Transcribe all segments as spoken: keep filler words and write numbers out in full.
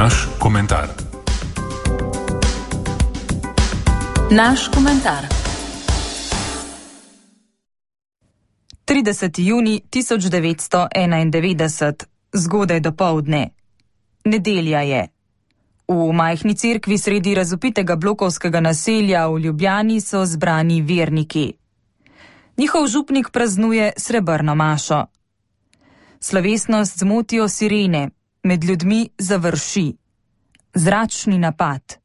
Naš komentar. Naš komentar. trideseti junij tisoč devetsto enaindevetdeset, zgodaj dopoldne. Nedelja je. V majhni cerkvi sredi razvpitega blokovskega naselja v Ljubljani so zbrani verniki. Njihov župnik praznuje srebrno mašo. Slovesnost zmotijo sirene, med ljudmi završi. Zračni napad.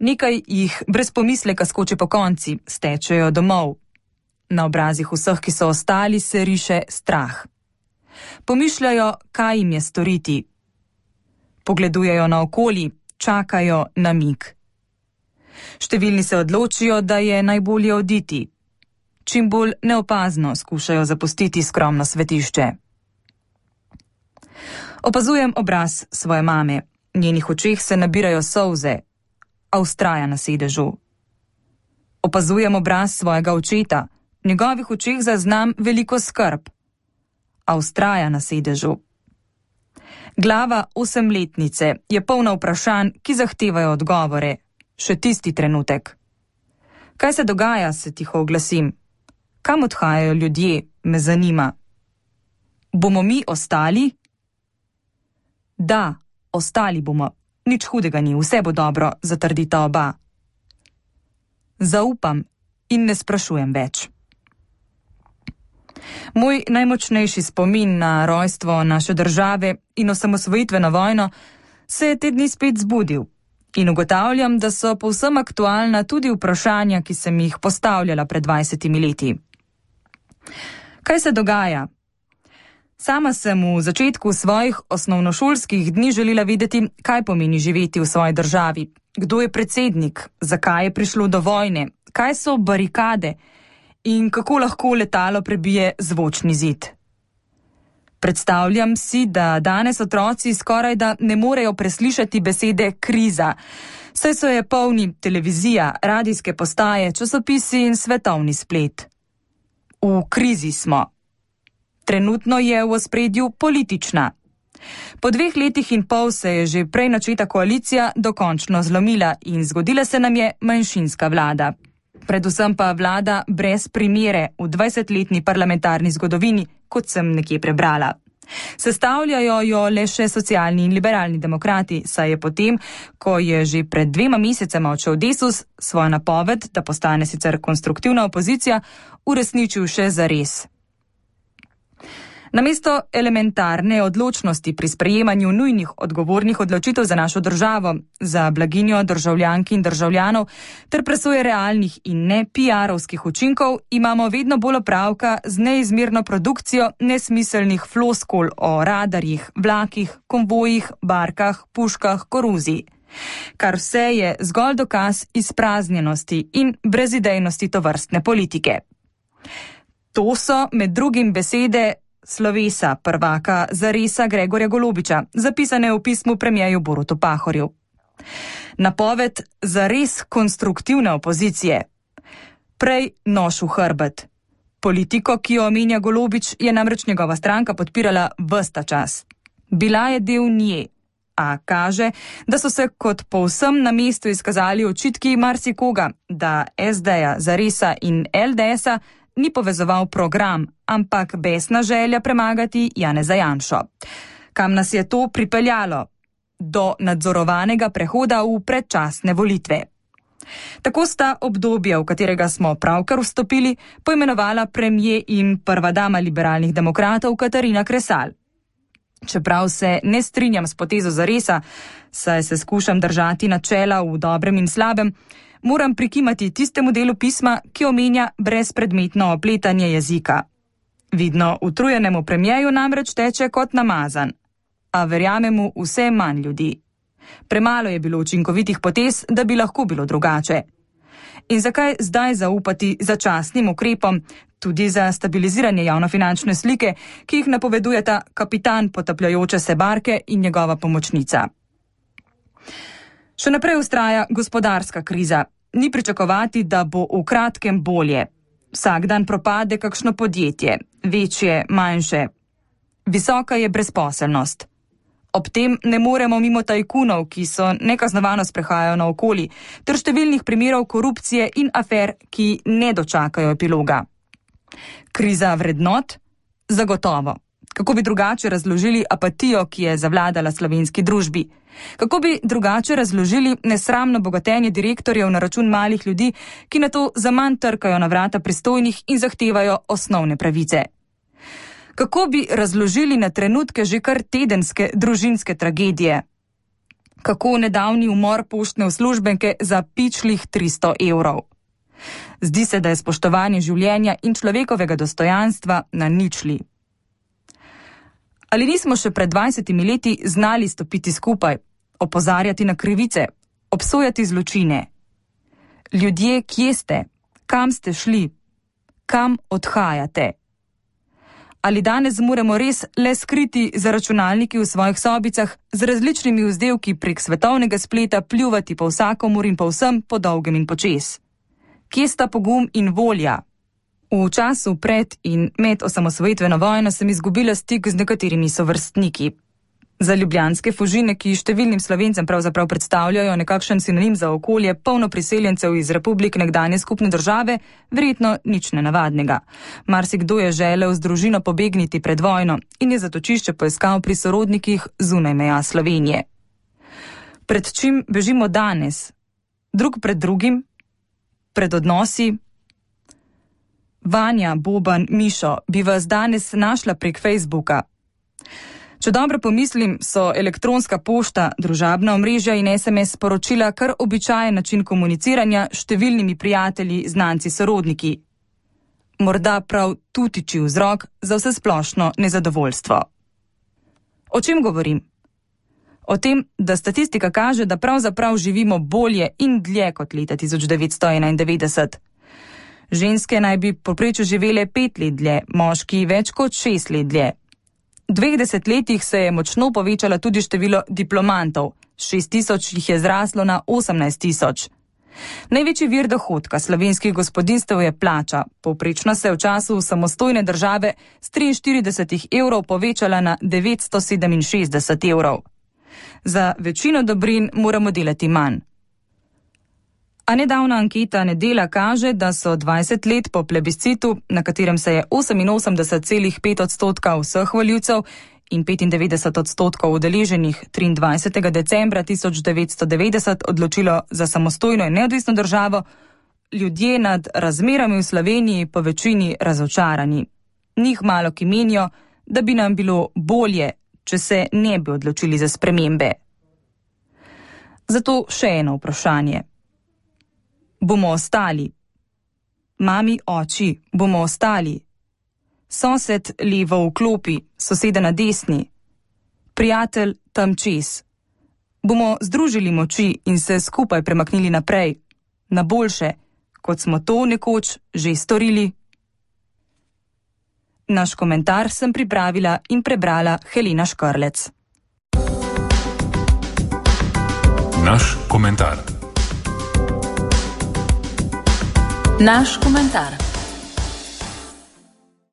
Nekaj jih brez pomisleka skoči po konci, stečejo domov. Na obrazih vseh, ki so ostali, se riše strah. Pomišljajo, kaj jim je storiti. Pogledujejo naokoli, čakajo na mig. Številni se odločijo, da je najbolje oditi. Čim bolj neopazno skušajo zapustiti skromno svetišče. Opazujem obraz svoje mame. Njenih očeh se nabirajo solze, a vztraja na sedežu. Opazujem obraz svojega očeta. V njegovih očeh zaznam veliko skrb, a vztraja na sedežu. Glava osemletnice je polna vprašanj, ki zahtevajo odgovore. Še tisti trenutek. Kaj se dogaja, se tiho oglasim. Kam odhajajo ljudje, me zanima. Bomo mi ostali? Da, ostali bomo. Nič hudega ni, vse bo dobro, zatrdita oba. Zaupam in ne sprašujem več. Moj najmočnejši spomin na rojstvo naše države in osamosvojitveno vojno se je te dni spet zbudil in ugotavljam, da so povsem aktualna tudi vprašanja, ki sem jih postavljala pred dvajsetimi leti. Kaj se dogaja? Sama sem v začetku svojih osnovnošolskih dni želela videti, kaj pomeni živeti v svoji državi, kdo je predsednik, zakaj je prišlo do vojne, kaj so barikade in kako lahko letalo prebije zvočni zid. Predstavljam si, da danes otroci skoraj da ne morejo preslišati besede kriza, saj so je polni televizija, radijske postaje, časopisi in svetovni splet. V krizi smo. Trenutno je v ospredju politična. Po dveh letih in pol se je že prej načeta koalicija dokončno zlomila in zgodila se nam je manjšinska vlada. Predvsem pa vlada brez primere v dvajsetletni parlamentarni zgodovini, kot sem nekje prebrala. Sestavljajo jo le še socialni in liberalni demokrati, saj je potem, ko je že pred dvema mesecema odšel Desus, svojo napoved, da postane sicer konstruktivna opozicija, uresničil še zares. Namesto elementarne odločnosti pri sprejemanju nujnih odgovornih odločitev za našo državo, za blaginjo državljank in državljanov ter presoje realnih in ne pi arovskih učinkov, imamo vedno bolj opravka z neizmerno produkcijo nesmiselnih floskul o radarjih, vlakih, konvojih, barkah, puškah, koruzi. Kar vse je zgolj dokaz izpraznjenosti in brezidejnosti tovrstne politike. To so med drugim besede slovesa prvaka Zaresa Gregorja Golobiča, zapisane v pismu premierju Borutu Pahorju. Napoved zares konstruktivne opozicije. Prej nož v hrbet. Politiko, ki jo omenja Golobič, je namreč njegova stranka podpirala ves ta čas. Bila je del nje, a kaže, da so se kot povsem na mestu izkazali očitki marsikoga, da es deja, Zaresa in el de esa ni povezoval program, ampak besna želja premagati Janeza Janšo. Kam nas je to pripeljalo? Do nadzorovanega prehoda v predčasne volitve. Tako sta obdobje, v katerega smo pravkar vstopili, poimenovala premier in prva dama liberalnih demokratov Katarina Kresal. Čeprav se ne strinjam s potezo Zaresa, saj se skušam držati načela v dobrem in slabem, moram prikimati tistemu delu pisma, ki omenja brezpredmetno opletanje jezika. Vidno utrujenemu premierju namreč teče kot namazan, a verjame mu vse manj ljudi. Premalo je bilo učinkovitih potez, da bi lahko bilo drugače. In zakaj zdaj zaupati začasnim ukrepom, tudi za stabiliziranje javnofinančne slike, ki jih napovedujeta kapitan potapljajoče se barke in njegova pomočnica? Še naprej vztraja gospodarska kriza. Ni pričakovati, da bo v kratkem bolje. Vsak dan propade kakšno podjetje, večje, manjše. Visoka je brezposelnost. Ob tem ne moremo mimo tajkunov, ki so nekaznovano sprehajajo naokoli, ter številnih primerov korupcije in afer, ki ne dočakajo epiloga. Kriza vrednot? Zagotovo. Kako bi drugače razložili apatijo, ki je zavladala slovenski družbi? Kako bi drugače razložili nesramno bogatenje direktorjev na račun malih ljudi, ki na to zaman trkajo na vrata pristojnih in zahtevajo osnovne pravice? Kako bi razložili na trenutke že kar tedenske družinske tragedije? Kako nedavni umor poštne uslužbenke za pičlih tristo evrov? Zdi se, da je spoštovanje življenja in človekovega dostojanstva na ničli. Ali nismo še pred dvajsetimi leti znali stopiti skupaj, opozarjati na krivice, obsojati zločine? Ljudje, kje ste? Kam ste šli? Kam odhajate? Ali danes moramo res le skriti za računalniki v svojih sobicah z različnimi vzdevki prek svetovnega spleta pljuvati po vsakomur in po vsem po dolgem in počez? Kje sta pogum in volja? V času pred in med osamosvojitveno vojno sem izgubila stik z nekaterimi sovrstniki. Za ljubljanske Fužine, ki številnim Slovencem pravzaprav predstavljajo nekakšen sinonim za okolje polno priseljencev iz republik nekdanje skupne države, verjetno nič nenavadnega. Marsikdo je želel z družino pobegniti pred vojno in je zatočišče poiskal pri sorodnikih zunaj meja Slovenije. Pred čim bežimo danes? Drug pred drugim? Pred odnosi? Vanja, Boban, Mišo, bi vas danes našla prek Facebooka. Če dobro pomislim, so elektronska pošta, družabna omrežja in es em es sporočila kar običajen način komuniciranja s številnimi prijatelji, znanci, sorodniki. Morda prav tu tiči vzrok za vsesplošno nezadovoljstvo. O čem govorim? O tem, da statistika kaže, da pravzaprav živimo bolje in dlje kot leta tisoč devetsto enaindevetdeset. Ženske naj bi povprečju živele pet let dlje, moški več kot šest let dlje. V dveh desetletjih se je močno povečalo tudi število diplomantov, šest tisoč jih je zraslo na osemnajst tisoč. Največji vir dohodka slovenskih gospodinjstev je plača, povprečno se je v času samostojne države s triinštirideset evrov povečala na devetsto sedeminšestdeset evrov. Za večino dobrin moramo delati manj. A nedavna anketa Nedela kaže, da so dvajset let po plebiscitu, na katerem se je oseminosemdeset celih pet odstotka vseh volivcev in petindevetdeset odstotkov udeleženih triindvajsetega decembra tisoč devetsto devetdeset odločilo za samostojno in neodvisno državo, ljudje nad razmerami v Sloveniji po večini razočarani. Njih malo ki menijo, da bi nam bilo bolje, če se ne bi odločili za spremembe. Zato še eno vprašanje. Bomo ostali? Mami, oči, bomo ostali? Sosed levo v klopi, soseda na desni. Prijatelj tam čez. Bomo združili moči in se skupaj premaknili naprej, na boljše, kot smo to nekoč že storili? Naš komentar sem pripravila in prebrala Helena Škrlec. Naš komentar. Naš komentar.